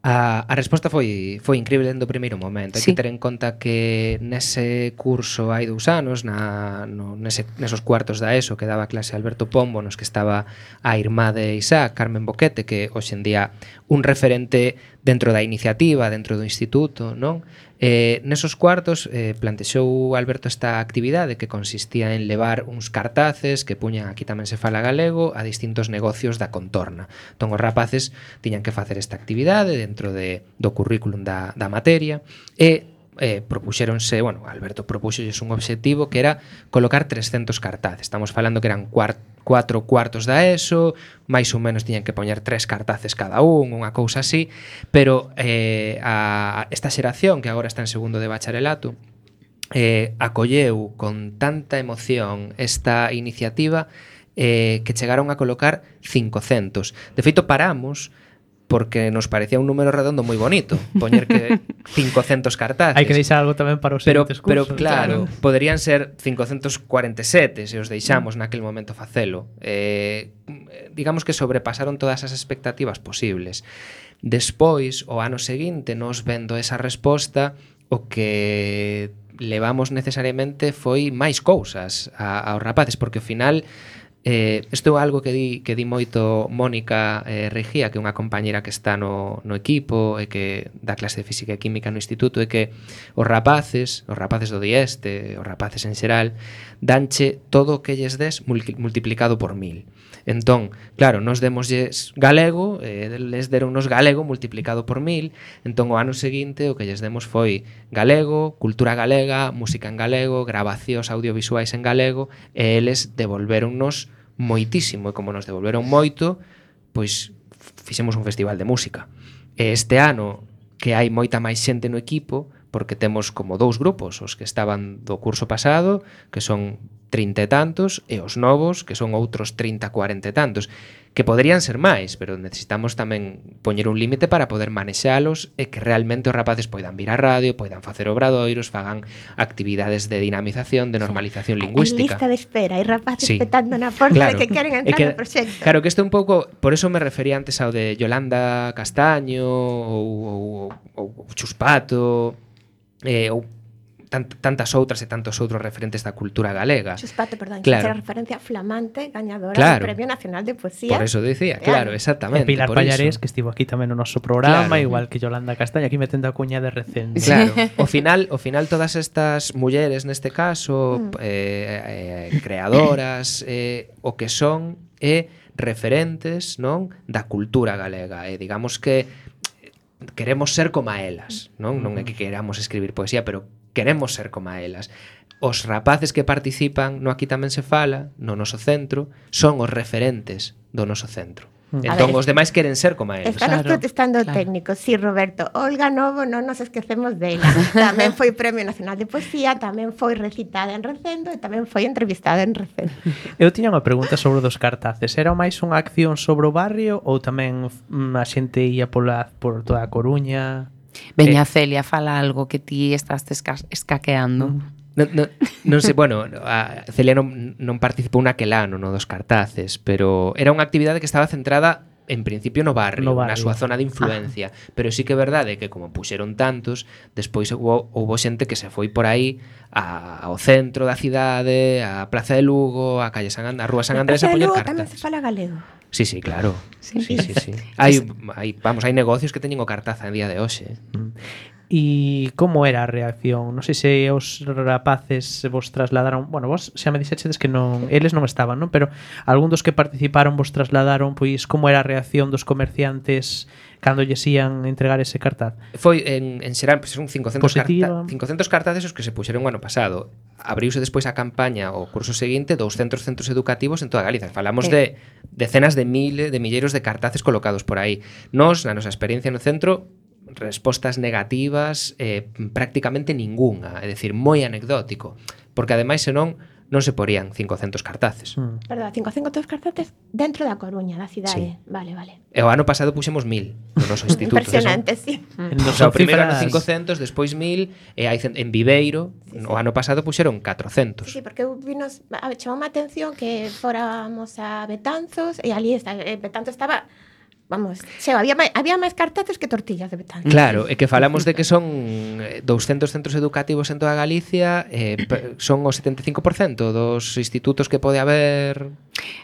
A, a resposta foi foi incrível dende o primeiro momento. Hai
Sí.
que ter en conta que nese curso hai dous anos, na, no, nese, nesos cuartos da ESO que daba clase Alberto Pombo, nos que estaba a irmá de Isaac, Carmen Boquete, que hoxe en día un referente dentro da iniciativa, dentro do instituto, non? Eh, nesos cuartos eh, plantexou Alberto esta actividade que consistía en levar uns cartaces que puñan, aquí tamén se fala galego, a distintos negocios da contorna. Entón os rapaces tiñan que facer esta actividade dentro de, do currículum da, da materia e eh, propuxéronse, bueno, Alberto propuxolles un obxectivo que era colocar trescentos cartaces. Estamos falando que eran cuart, cuatro cuartos da ESO, máis ou menos tiñan que poñer tres cartaces cada un, unha cousa así, pero eh, a, esta xeración que agora está en segundo de bacharelato eh, acolleu con tanta emoción esta iniciativa eh, que chegaron a colocar cincocentos. De feito, paramos porque nos parecía un número redondo moi bonito poñer que cincocentos cartaces.
Hai que deixar algo tamén para os
pero,
seguintes
pero
cursos.
claro, claro, poderían ser cincocentos cuarenta e sete se os deixamos mm. naquel momento facelo. Eh, digamos que sobrepasaron todas as expectativas posibles. Despois, o ano seguinte, nos vendo esa resposta, o que levamos necesariamente foi máis cousas a, aos rapaces, porque ao final Eh, isto é algo que di, que di moito Mónica eh, Regía, que é unha compañera que está no, no equipo e que dá clase de física e química no instituto, é que os rapaces, os rapaces do dieste, os rapaces en xeral, danche todo o que lles des multiplicado por mil. Entón, claro, nos demosles galego, eh, les deronnos galego multiplicado por mil, entón o ano seguinte o que lles demos foi galego, cultura galega, música en galego, grabacións audiovisuais en galego, e eles devolvéronnos moitísimo, e como nos devolveron moito, pois fixemos un festival de música. E este ano, que hai moita máis xente no equipo, porque temos como dous grupos, os que estaban do curso pasado, que son trinta e tantos, e os novos, que son outros trinta, cuarenta e tantos, que poderían ser máis, pero necesitamos tamén poñer un límite para poder manexalos e que realmente os rapaces poidan vir á radio, poidan facer obradoiros, fagan actividades de dinamización, de normalización sí. lingüística.
Hai lista de espera, hai rapaces
sí.
petando na porta claro. que queren entrar
que,
no proxecto.
Claro, que isto un pouco, por eso me refería antes ao de Yolanda Castaño ou, ou, ou, ou Chuspato, eh, ou tant, tantas outras e tantos outros referentes da cultura galega.
Chuspato, perdón,
claro.
que referencia flamante, gañadora
claro.
do Premio Nacional de Poesía.
Por eso decía, claro, exactamente.
E Pilar
por
Pallarés,
iso.
que estivo aquí tamén no noso programa,
claro.
igual que Yolanda Castaña, aquí metendo a cuña de recente.
Claro, ao final, ao final todas estas mulleres neste caso, mm. eh, eh, creadoras, eh, o que son é referentes, non, da cultura galega, e digamos que queremos ser como elas, non? Non é que queramos escribir poesía, pero queremos ser como elas. Os rapaces que participan no Aquí tamén se fala, no noso centro, son os referentes do noso centro. Entón, ver, os demais queren ser como eles.
Están claro, protestando claro. técnicos. Sí, Roberto. Olga Novo, non nos esquecemos dela. Tamén foi Premio Nacional de Poesía, tamén foi recitada en Recendo e tamén foi entrevistada en Recendo.
Eu tiña unha pregunta sobre os cartaces. Era máis unha acción sobre o barrio ou tamén a xente ia pola, por toda a Coruña?
Veña, eh, Celia, fala algo que ti estás esca escaqueando.
Non, non, non sei, bueno, a Celia non, non participou naquel ano no dos cartaces, pero era unha actividade que estaba centrada en principio no barrio,
No barrio.
na súa zona de influencia, ah. pero sí que é verdade que como puxeron tantos, despois houbo, houbo xente que se foi por aí a, ao centro da cidade, a Praza de Lugo, a calle San Andrés, a Rúa San Andrés a poñer cartas.
Tamén se fala galego.
Sí, sí, claro.
Sí,
sí, sí, sí. Hai, hai, vamos, hai negocios que teñen o cartaza en día de hoxe.
Mm. E como era a reacción? Non sei se os rapaces vos trasladaron, bueno, vos xa me dixechedes que non, eles non estaban, non? Pero algún dos que participaron vos trasladaron, pois, como era a reacción dos comerciantes cando lles ían entregar ese cartaz?
Foi en, en xeral, pois, son cincocentos,
Positiva.
carta, cincocentos cartaces os que se puxeron o ano pasado. Abriuse despois a campaña o curso seguinte douscentos centros educativos en toda Galiza. Falamos
Eh.
de decenas de miles, de milleiros de cartaces colocados por aí. Nos, na nosa experiencia no centro, respostas negativas eh, prácticamente ningunha, é dicir, moi anecdótico, porque ademais senón non se porían cincocentos cartaces.
Mm.
Perdón, cincocentos cartaces dentro da Coruña, da cidade. Sí. Vale, vale.
E o ano pasado puxemos mil no noso instituto.
Impresionante, sí.
En
O
dos
sea, o primeiro ano
cifras-
cincocentos, despois mil, e hai cen- en Viveiro,
Sí, sí.
o ano pasado puxeron
Sí,
catrocentos.
sí, porque eu vinos, a ver, chamou a atención que fóramos a Betanzos e ali está, eh, Betanzos estaba, vamos, xeo, había máis, había máis cartaces que tortillas de Betanzos.
Claro, é que falamos de que son eh, douscentos centros educativos en toda Galicia, eh, pe- son o setenta e cinco por cento dos institutos que pode haber.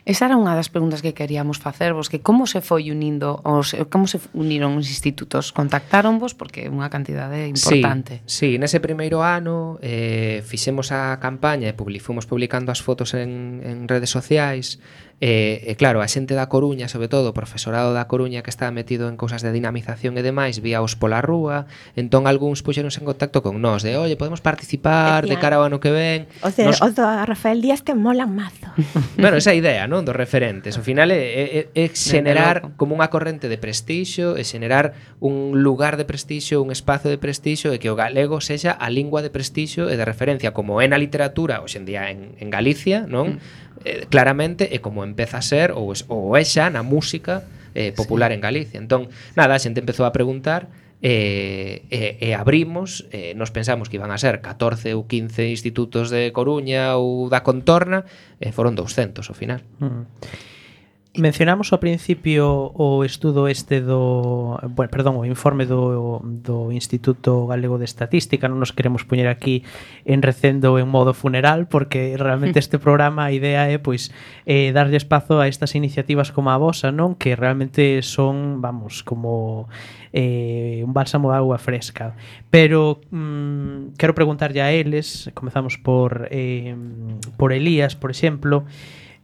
Esa era unha das preguntas que queríamos facervos, que como se foi unindo, os, como se uniron os institutos? Contactáronvos? Porque é unha cantidade importante.
Sí, sí, nese primeiro ano eh, fixemos a campaña e publi, fomos publicando as fotos en, en redes sociais. E, e claro, a xente da Coruña, sobre todo o profesorado da Coruña que estaba metido en cousas de dinamización e demais, víaos pola rúa, entón algúns puxeronse en contacto con nós de, oye, podemos participar de
Decían,
cara ao ano que ven.
Os, de,
Nos-
os do Rafael Díaz te molan mazo.
Bueno, esa idea, non, dos referentes. Ao final é, é, é xenerar
logo.
como unha corrente de prestixio, é xenerar un lugar de prestixio, un espazo de prestixio e que o galego sexa a lingua de prestixio e de referencia como é na literatura hoxe en día en, en Galicia, non? Mm. Eh, claramente é como empeza a ser ou, es, ou é xa na música eh, popular sí. en Galicia. Entón, nada, a xente empezou a preguntar e, e, e abrimos, e nos pensamos que iban a ser catorce ou quince institutos de Coruña ou da contorna, e foron douscentos ao final.
Mm. Mencionamos ao principio o estudo este do, bueno, perdón, o informe do, do Instituto Galego de Estatística. Non nos queremos poñer aquí en recendo en modo funeral, porque realmente este programa a idea é pois eh, darlle espazo a estas iniciativas como a vosa, non? Que realmente son, vamos, como eh, un bálsamo de agua fresca. Pero mm, quero preguntarlle a eles, comezamos por eh, por Elías, por exemplo.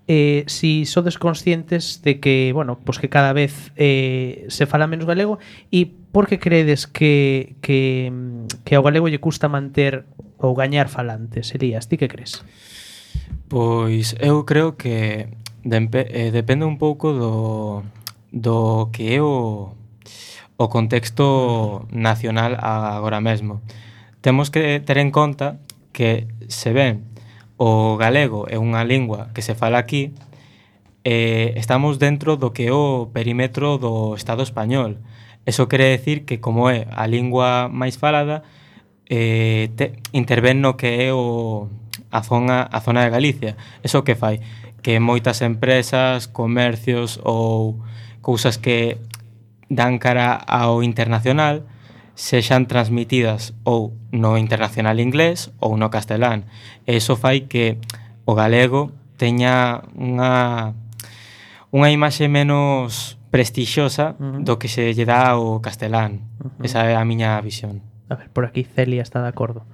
Eh, si sodes conscientes de que, bueno, pues que cada vez eh, se fala menos galego, e por que credes que, que, que ao galego lle custa manter ou gañar falantes? Elías, ti que crees?
Pois eu creo que dempe, eh, depende un pouco do, do que é o, o contexto nacional agora mesmo. Temos que ter en conta que se ven o galego é unha lingua que se fala aquí, eh, estamos dentro do que é o perímetro do Estado español. Eso quere decir que como é a lingua máis falada, eh, te, intervén no que é o, a, zona, a zona de Galicia. Eso que fai? Que moitas empresas, comercios ou cousas que dan cara ao internacional sexan transmitidas ou no internacional inglés ou no castelán. E iso fai que o galego teña unha unha imaxe menos prestixiosa
Uh-huh.
do que se lle dá ao castelán.
Uh-huh.
Esa é a miña visión.
A ver, por aquí Celia está de acordo.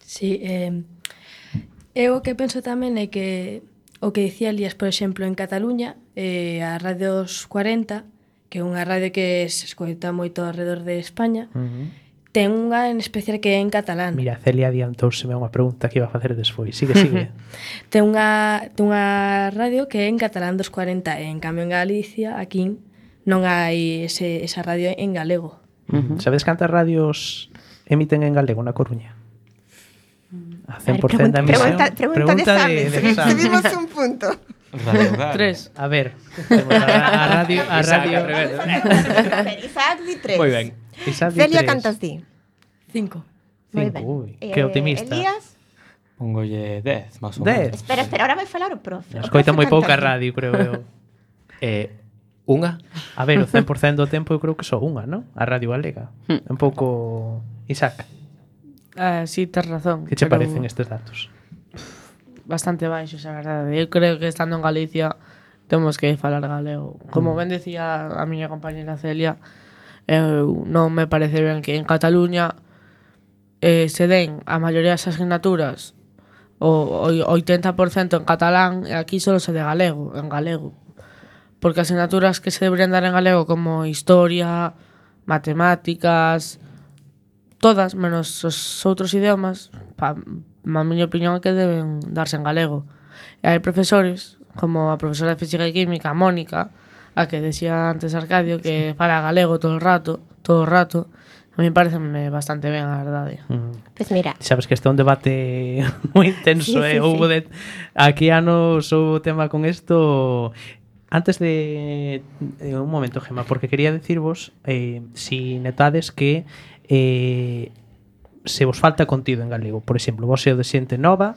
Sí, eh, eu o que penso tamén é que o que dicía Elías, por exemplo, en Cataluña, eh, a Radio dos cuarenta, que é unha radio que se escoita moito alrededor de España,
Uh-huh.
ten unha en especial que é en catalán.
Mira, Celia adiantouseme a unha pregunta que iba a facer despois. Sigue, sigue.
Ten unha, ten unha radio que é en catalán dos cuarenta, e en cambio en Galicia, aquí, non hai ese, esa radio en galego.
Uh-huh. Sabedes cantas radios emiten en galego na Coruña? A cen por cento da emisión.
Pregunta, pregunta, pregunta de examen.
de examen.
Subimos un punto.
Radio Hogar.
Tres.
A ver, temos a, a radio, a radio.
Isaac di tres.
Moi ben.
Isaac di
Celia
tres.
cantas di?
Cinco.
Moi
Cinco,
ben.
ui,
Eh,
que optimista.
Elías,
Pongolle dez, máis ou
Dez.
menos.
Espera, espera, ahora vai falar o profe. O
Escoita
profe
moi pouca
canta.
radio, creo eu.
Eh, unha?
A ver, o cen por cento do tempo eu creo que só unha, non? A Radio Galega.
Hmm.
Un pouco... Isaac,
Eh, sí, tes razón.
que che
pero
parecen estes datos?
Bastante baixos, a verdade. Eu creo que estando en Galicia temos que falar galego. Como ben decía a miña compañera Celia, eu non me parece ben que en Cataluña eh, se den a maioría das asignaturas o, o oitenta por cento en catalán e aquí solo se de galego, en galego. Porque asignaturas que se deberían dar en galego como historia, matemáticas, todas, menos os outros idiomas, pa, a miña opinión é que deben darse en galego. E hai profesores, como a profesora de Física e Química, Mónica, a que decía antes Arcadio, que fala galego todo o rato, todo o rato, a mí pareceme bastante ben, a verdade.
Mm.
Pues mira,
Sabes que este é un debate moi intenso,
Sí,
eh?
sí,
Houbo
sí.
de... Aquí anos houbo tema con isto... Antes de... eh, un momento, Gemma, porque quería decirvos eh, si netades que eh, se vos falta contido en galego. Por exemplo, vos seo de xente nova,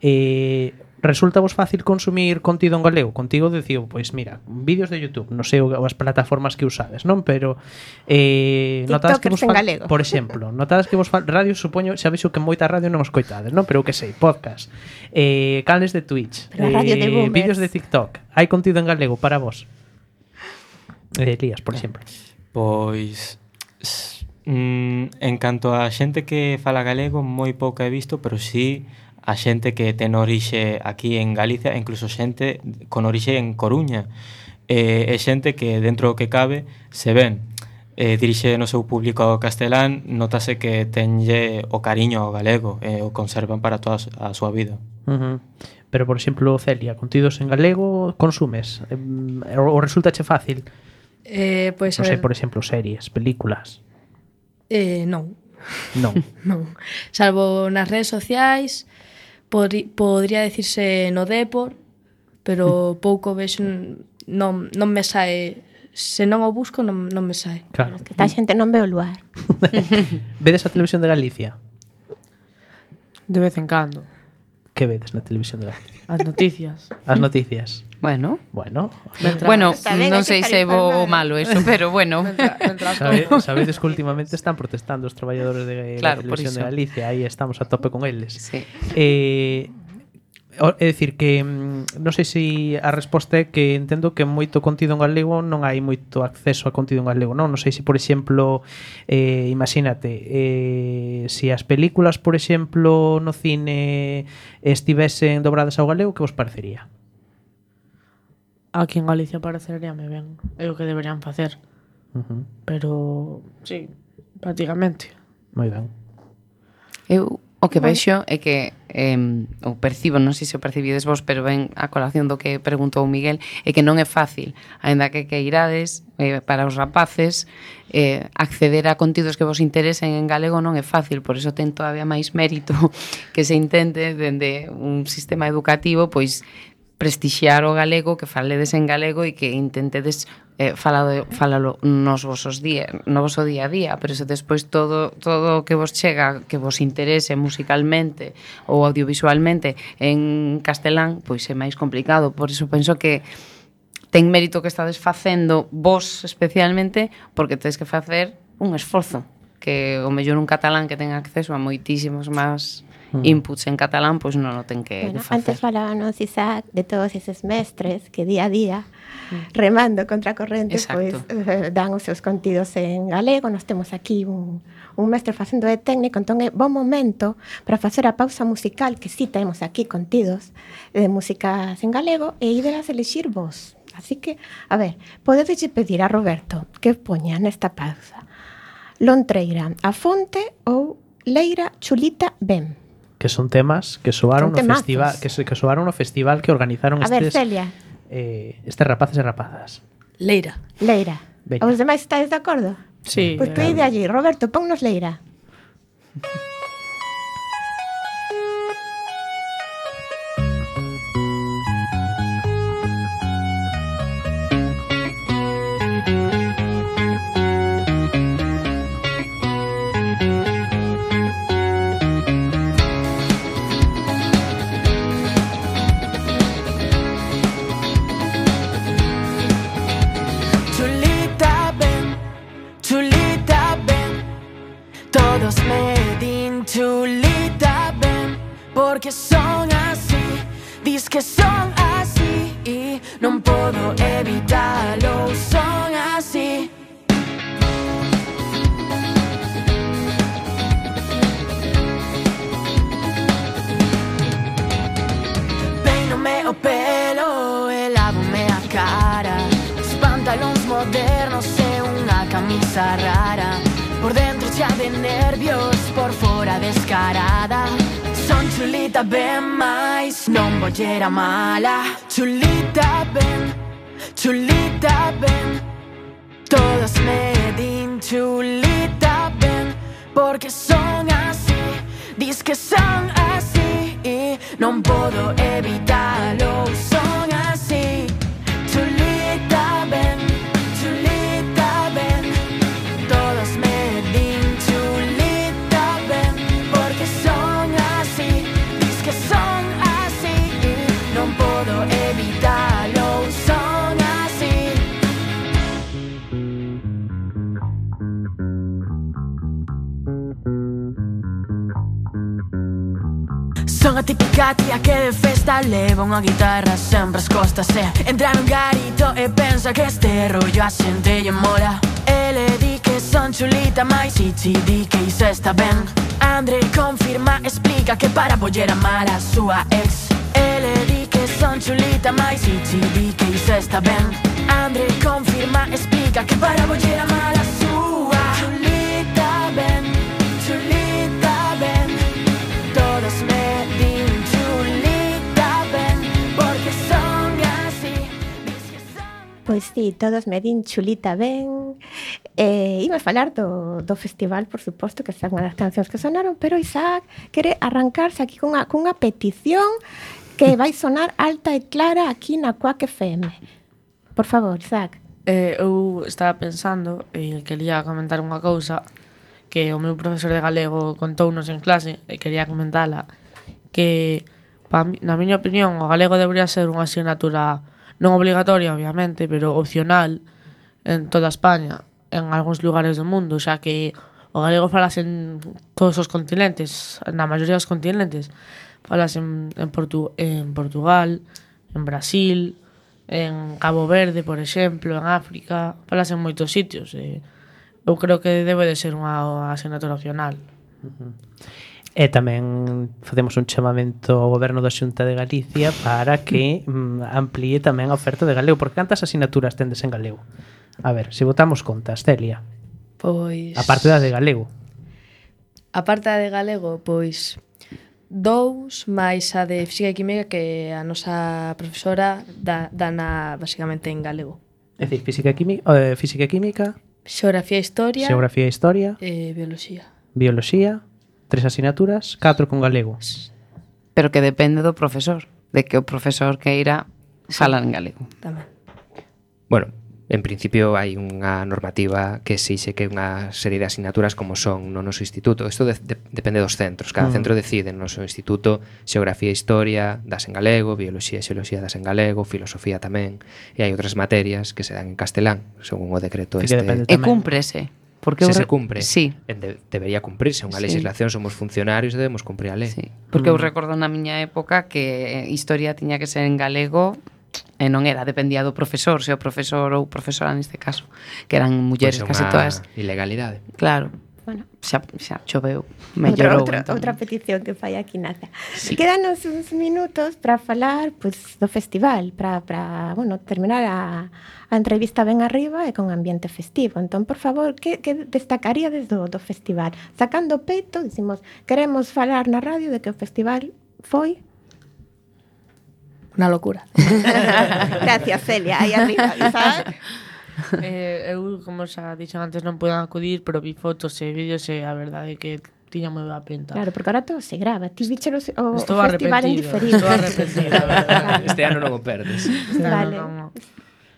eh, resulta vos fácil consumir contido en galego? Contigo decido, pois mira, vídeos de YouTube, non sei as plataformas que usades, non? Pero eh, notades que vos
TikTokers en
fal-
galego.
por exemplo, notades que vos fal- radio, supoño, xa vexo que moita radio non escoitades, non? Pero que sei, podcast, eh, canales de Twitch,
Pero a radio de boomers.
vídeos de TikTok, hai contido en galego para vos? Eh, Elías, por exemplo.
Pois s- mm, en canto a xente que fala galego, moi pouca he visto, pero sí a xente que ten orixe aquí en Galicia, e incluso xente con orixe en Coruña. E, e xente que dentro do que cabe se ven eh, dirixe no seu público ao castelán, notase que tenlle o cariño ao galego e o conservan para toda a súa vida.
Uh -huh. Pero, por exemplo, Celia, contidos en galego consumes? Eh, ou resultache fácil?
Eh, pois,
Non
a
sei,
ver,
por exemplo, series, películas.
eh, non,
Non.
non. Salvo nas redes sociais, podri, podría decirse no Depor, pero pouco vexo, non, non me sae, se non o busco non, non me sae.
Claro.
que esta xente non ve o luar.
Vedes a televisión de Galicia?
De vez en cando.
Que vedes na televisión de Galicia?
As noticias.
As noticias.
Bueno,
Bueno,
Mentra-
bueno,
Está ben,
non
hai que
sei
estar
se é bo
informado.
ou malo eso, pero bueno.
mentra- mentra
sabe,
todo.
sabedes que últimamente están protestando os traballadores de
Claro,
la
por
televisión de
iso.
Galicia, aí estamos a tope con eles.
Sí.
Eh, o- é dicir que mm, non sei se a resposta é que entendo que moito contido en galego non hai moito acceso a contido en galego, non? Non sei se, por exemplo, eh, imagínate, eh, se as películas, por exemplo, no cine estivesen dobradas ao galego, que vos parecería?
Aquí en Galicia pareceríame ben. É o que deberían facer.
Uh -huh.
Pero, sí, prácticamente.
Moi ben.
Eu o que vexo é que eh, o percibo, non sei se o percibides vos, pero ben a colación do que preguntou Miguel, é que non é fácil, aínda que que irades eh, para os rapaces eh, acceder a contidos que vos interesen en galego non é fácil, por iso ten todavía máis mérito que se intente dende un sistema educativo pois prestixiar o galego, que faledes en galego e que intentedes eh, falado, falalo nos vosos día, no voso día a día, pero se despois todo todo o que vos chega, que vos interese musicalmente ou audiovisualmente en castelán, pois é máis complicado. Por iso penso que ten mérito que estades facendo vos especialmente, porque tedes que facer un esforzo, que o mellor un catalán que ten acceso a moitísimos máis inputs en catalán, pois non o ten que
Bueno,
facer.
antes falábamos, Isaac, de todos eses mestres que día a día, remando contra a corrente, pois
Exacto.
eh, dan os seus contidos en galego. Nós temos aquí un, un mestre facendo de técnico, entón é bon momento para facer a pausa musical, que si sí temos aquí contidos de músicas en galego, e ídelas elixir vos. Así que, a ver, podedes pedir a Roberto que poña nesta pausa Lontreira, A Fonte ou Leira, Chulita, Ben.
Que son temas que soaron
Son
no
temazos.
festival, que, se- que soaron no festival que organizaron
A ver,
estes
Celia,
eh, estes rapaces e rapazas.
Leira.
Leira.
Veña.
Os demais estáis de acordo?
Sí.
Pois tú
eh,
ide allí, Roberto, ponnos Leira.
Todos me din chulita, ven, porque son así. Dis que son así y non podo evitalo, son así. Peínome o pelo e lávome a cara, os pantalóns modernos e unha camisa rara, por dentro xa de nervios, por fora descarada. Son chulita ben máis, non bollera mala. Chulita ben, chulita ben, todas me din chulita ben, porque son así, dis que son así e non podo evitalo, son así. Chulita ben, chulita ben, todas me din chulita ben, porque son así, dis que son así e non podo evitalo, son así. Son a típica tía que de festa leva unha guitarra sempre as costas e entra nun garito e pensa que este rollo a xente lle mola. Ele di que son chulita, mais Ichi di que iso está ben. André confirma, explica que para bollera mala a súa ex. Ele di que son chulita, mais Ichi di que iso está ben. André confirma, explica que para bollera mala a súa chulita ben, chulita ben, todos me din chulita ben, porque son así.
Pois sí, todos me din chulita ben. Eh, Iba a falar do, do festival, por suposto, que esa é unha das cancións que sonaron, pero Isaac quere arrancarse aquí cunha, cunha petición que vai sonar alta e clara aquí na Quack F M. Por favor, Isaac.
Eh, eu estaba pensando e quería comentar unha cousa que o meu profesor de galego contounos en clase e quería comentala, que pa mi, na miña opinión o galego debería ser unha asignatura non obligatoria, obviamente, pero opcional en toda España, en algúns lugares do mundo, xa que o galego falase en todos os continentes, na maioría dos continentes. Falase en, en, Portu, en Portugal, en Brasil, en Cabo Verde, por exemplo, en África, falase en moitos sitios. E eu creo que debe de ser unha asignatura opcional.
Uh-huh. E tamén facemos un chamamento ao goberno da Xunta de Galicia para que mm, amplíe tamén a oferta de galego, porque cantas asignaturas tendes en galego? A ver, se botamos contas, Celia.
Pois...
A parte da de galego.
A parte da de galego, pois... dous, máis a de física e química que a nosa profesora dá, dana basicamente en galego.
É dicir, física e química, eh, física e química,
Xeografía e historia,
xeografía e historia,
e bioloxía.
bioloxía, tres asignaturas, catro con galego.
Pero que depende do profesor, de que o profesor queira falar en galego.
Tamén.
Bueno, en principio hai unha normativa que exixe que unha serie de asignaturas como son no noso instituto. Isto de, de, depende dos centros. Cada
Mm.
centro decide no noso instituto xeografía e historia das en galego, bioloxía e xeoloxía das en galego, filosofía tamén, e hai outras materias que se dan en castelán, según o decreto
Sí que
este.
depende
E
tamén.
cúmprese. Porque
Se
eu
se
re-
cumpre,
Sí,
en de, debería cumprirse unha
Sí.
legislación, somos funcionarios e debemos cumprir a lei.
sí. Porque eu recordo na miña época que historia tiña que ser en galego e non era, dependía do profesor, se o profesor ou profesora neste caso, que eran mulleres
Pois é
casi
unha
todas.
ilegalidade.
Claro,
Bueno,
xa, xa choveu,
outra,
mellorou.
outra,
entón.
outra petición que fai aquí Naza.
Sí.
Quédanos uns minutos para falar pues, do festival, para, para bueno, terminar a, a entrevista ben arriba e con ambiente festivo. Entón, por favor, que, que destacaríades do, do festival? Sacando peito, dicimos, queremos falar na radio de que o festival foi...
Unha locura.
Gracias, Celia, aí arriba, Isaac.
eh, eu, como xa dixen antes, non puedo acudir, pero vi fotos e vídeos e a verdade é que tiña moi boa pinta.
Claro, porque ahora todo se grava. Ti viche o, o
Estou
festival en
arrepentido,
diferido.
estou arrepentido, a verdade.
Este ano non o perdes.
Vale.
Non, non.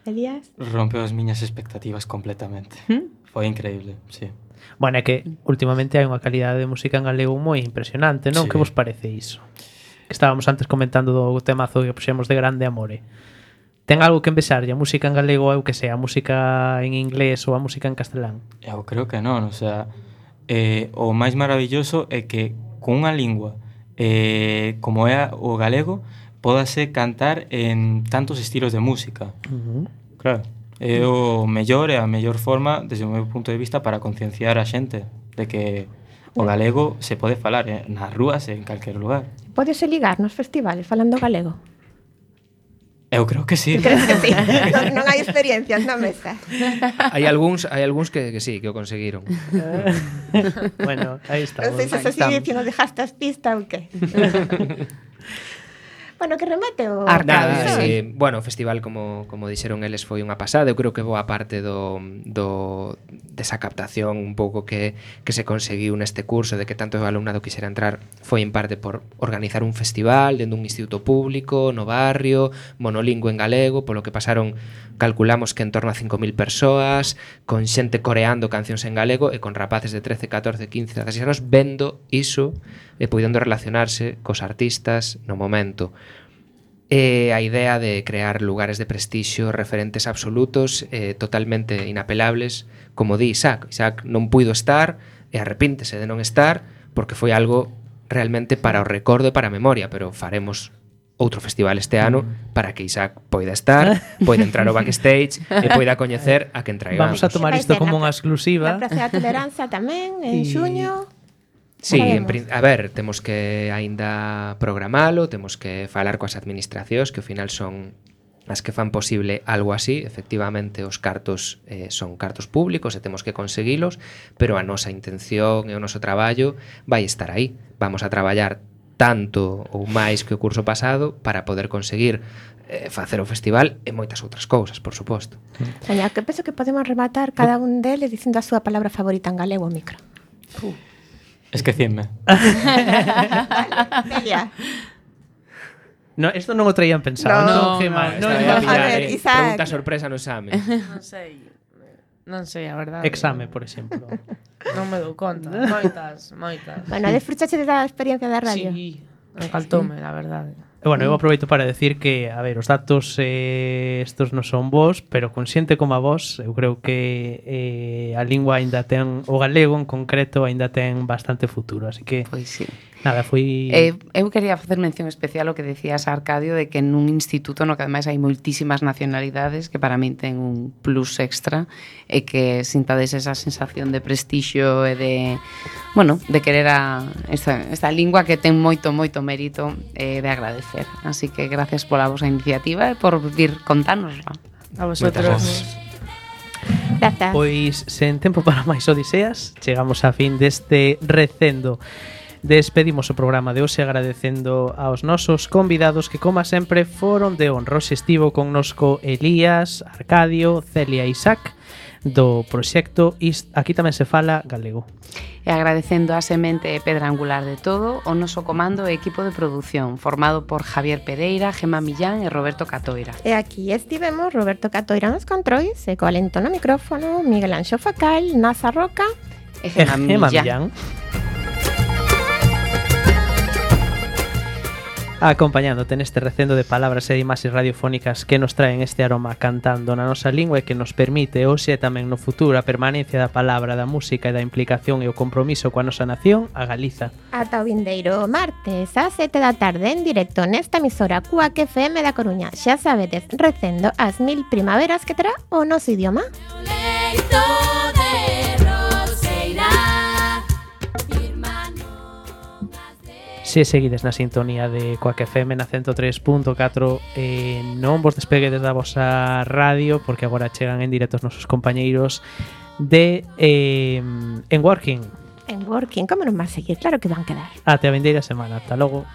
Elías?
Rompeu as miñas expectativas completamente.
¿Mm?
Foi increíble, sí.
Bueno, é que últimamente hai unha calidade de música en galego moi impresionante, non?
Sí.
Que vos parece iso? Que estábamos antes comentando do temazo que puxemos de Grande Amore. Ten algo que envexarlle a música en galego ou que sea a música en inglés ou a música en castelán?
Eu creo que non, o sea, eh, o máis maravilloso é que con unha lingua eh, como é o galego pódase cantar en tantos estilos de música.
Uh-huh.
Claro, é o mellor e a mellor forma desde o meu punto de vista para concienciar a xente de que o galego se pode falar eh, nas rúas e en calquer lugar.
Podese ligar nos festivales falando galego?
Eu creo que sí.
Crees que sí? non, non hai experiencias na mesa.
Hai algúns, hai algúns que, que sí, que o conseguiron.
Bueno, aí está.
Non sei se así que nos dejaste as pistas ou que. Bueno, que remate o...
Nada, sí. Bueno, o festival, como, como dixeron eles, foi unha pasada. Eu creo que boa parte do, do, desa captación un pouco que, que se conseguiu neste curso, de que tanto o alumnado quixera entrar, foi en parte por organizar un festival dentro dun instituto público, no barrio, monolingüe en galego, polo que pasaron, calculamos que en torno a cinco mil persoas, con xente coreando cancións en galego e con rapaces de trece, catorce, quince, dezasseis anos vendo iso e podendo relacionarse cos artistas no momento. E a idea de crear lugares de prestixio, referentes absolutos, eh, totalmente inapelables, como di Isaac. Isaac non puido estar e arrepíntese de non estar porque foi algo realmente para o recordo e para a memoria, pero faremos outro festival este ano para que Isaac poida estar, poida entrar ao backstage e poida coñecer a quen traigamos.
Vamos a tomar isto como unha exclusiva.
Na Praza da Toleranza tamén, en
Y...
xuño.
Sí, en, a ver, temos que aínda programalo, temos que falar coas administracións que ao final son as que fan posible algo así. Efectivamente, os cartos eh, son cartos públicos e temos que conseguilos, pero a nosa intención e o noso traballo vai estar aí. Vamos a traballar tanto ou máis que o curso pasado para poder conseguir eh, facer o festival e moitas outras cousas, por suposto.
Oña, que penso que podemos rematar cada un deles dicindo a súa palabra favorita en galego ao micro.
Uh. Esquecíme.
Celia.
No, esto non o traían pensado.
No,
no, que
no,
mal.
no,
No,
no,
no,
a
pillar,
ver,
eh.
Isaac.
Pregunta sorpresa no exame.
Non sei. Non sei, a verdade.
Exame, por exemplo.
Non me dou conta. Moitas, moitas.
Bueno, desfrutaste da experiencia da radio?
Sí, encaltoume, a verdade.
Bueno, eu aproveito para decir que, a ver, os datos eh, estos non son vos, pero con xente como a vos, eu creo que eh, a lingua aínda ten, o galego en concreto, aínda ten bastante futuro, así que...
Pois sí.
Nada, foi...
Eh, eu quería facer mención especial ao que decías, Arcadio, de que nun instituto no que ademais hai moitísimas nacionalidades que para min ten un plus extra e que sintades esa sensación de prestixio e de, bueno, de querer a esta, esta lingua que ten moito, moito mérito eh, de agradecer. Así que gracias pola vosa iniciativa e por vir contánosla.
A vosotros.
Grazas.
Pois, sen tempo para máis odiseas, chegamos a fin deste recendo. Despedimos o programa de hoxe agradecendo aos nosos convidados que, como sempre, foron de honra. Hoxe estivo connosco Elías, Arcadio, Celia e Isaac do proxecto Is- Aquí tamén se fala galego.
E agradecendo a semente e pedra angular de todo o noso comando e equipo de produción formado por Javier Pereira, Gemma Millán e Roberto Catoira.
E aquí estivemos Roberto Catoira nos controis e co alento no micrófono Miguel Anxo Facal, Nasa Roca
E Gemma
Gemma
Millán.
Acompañándote neste recendo de palabras e de imaxes radiofónicas que nos traen este aroma cantando na nosa lingua e que nos permite hoxe e tamén no futuro a permanencia da palabra, da música e da implicación e o compromiso coa nosa nación, a Galiza.
ata o vindeiro martes a sete da tarde en directo nesta emisora Cuac F M da Coruña. Xa sabedes, recendo as mil primaveras que terá o noso idioma.
Leito de Roseira, irmán.
Se seguides na sintonía de Cuac F M na ciento tres punto catro, eh, non vos despeguedes da vosa radio porque agora chegan en directo os nosos compañeiros de eh, En Working.
En Working, como non van seguir? Claro que van quedar.
Até a vindeira semana. Ata logo.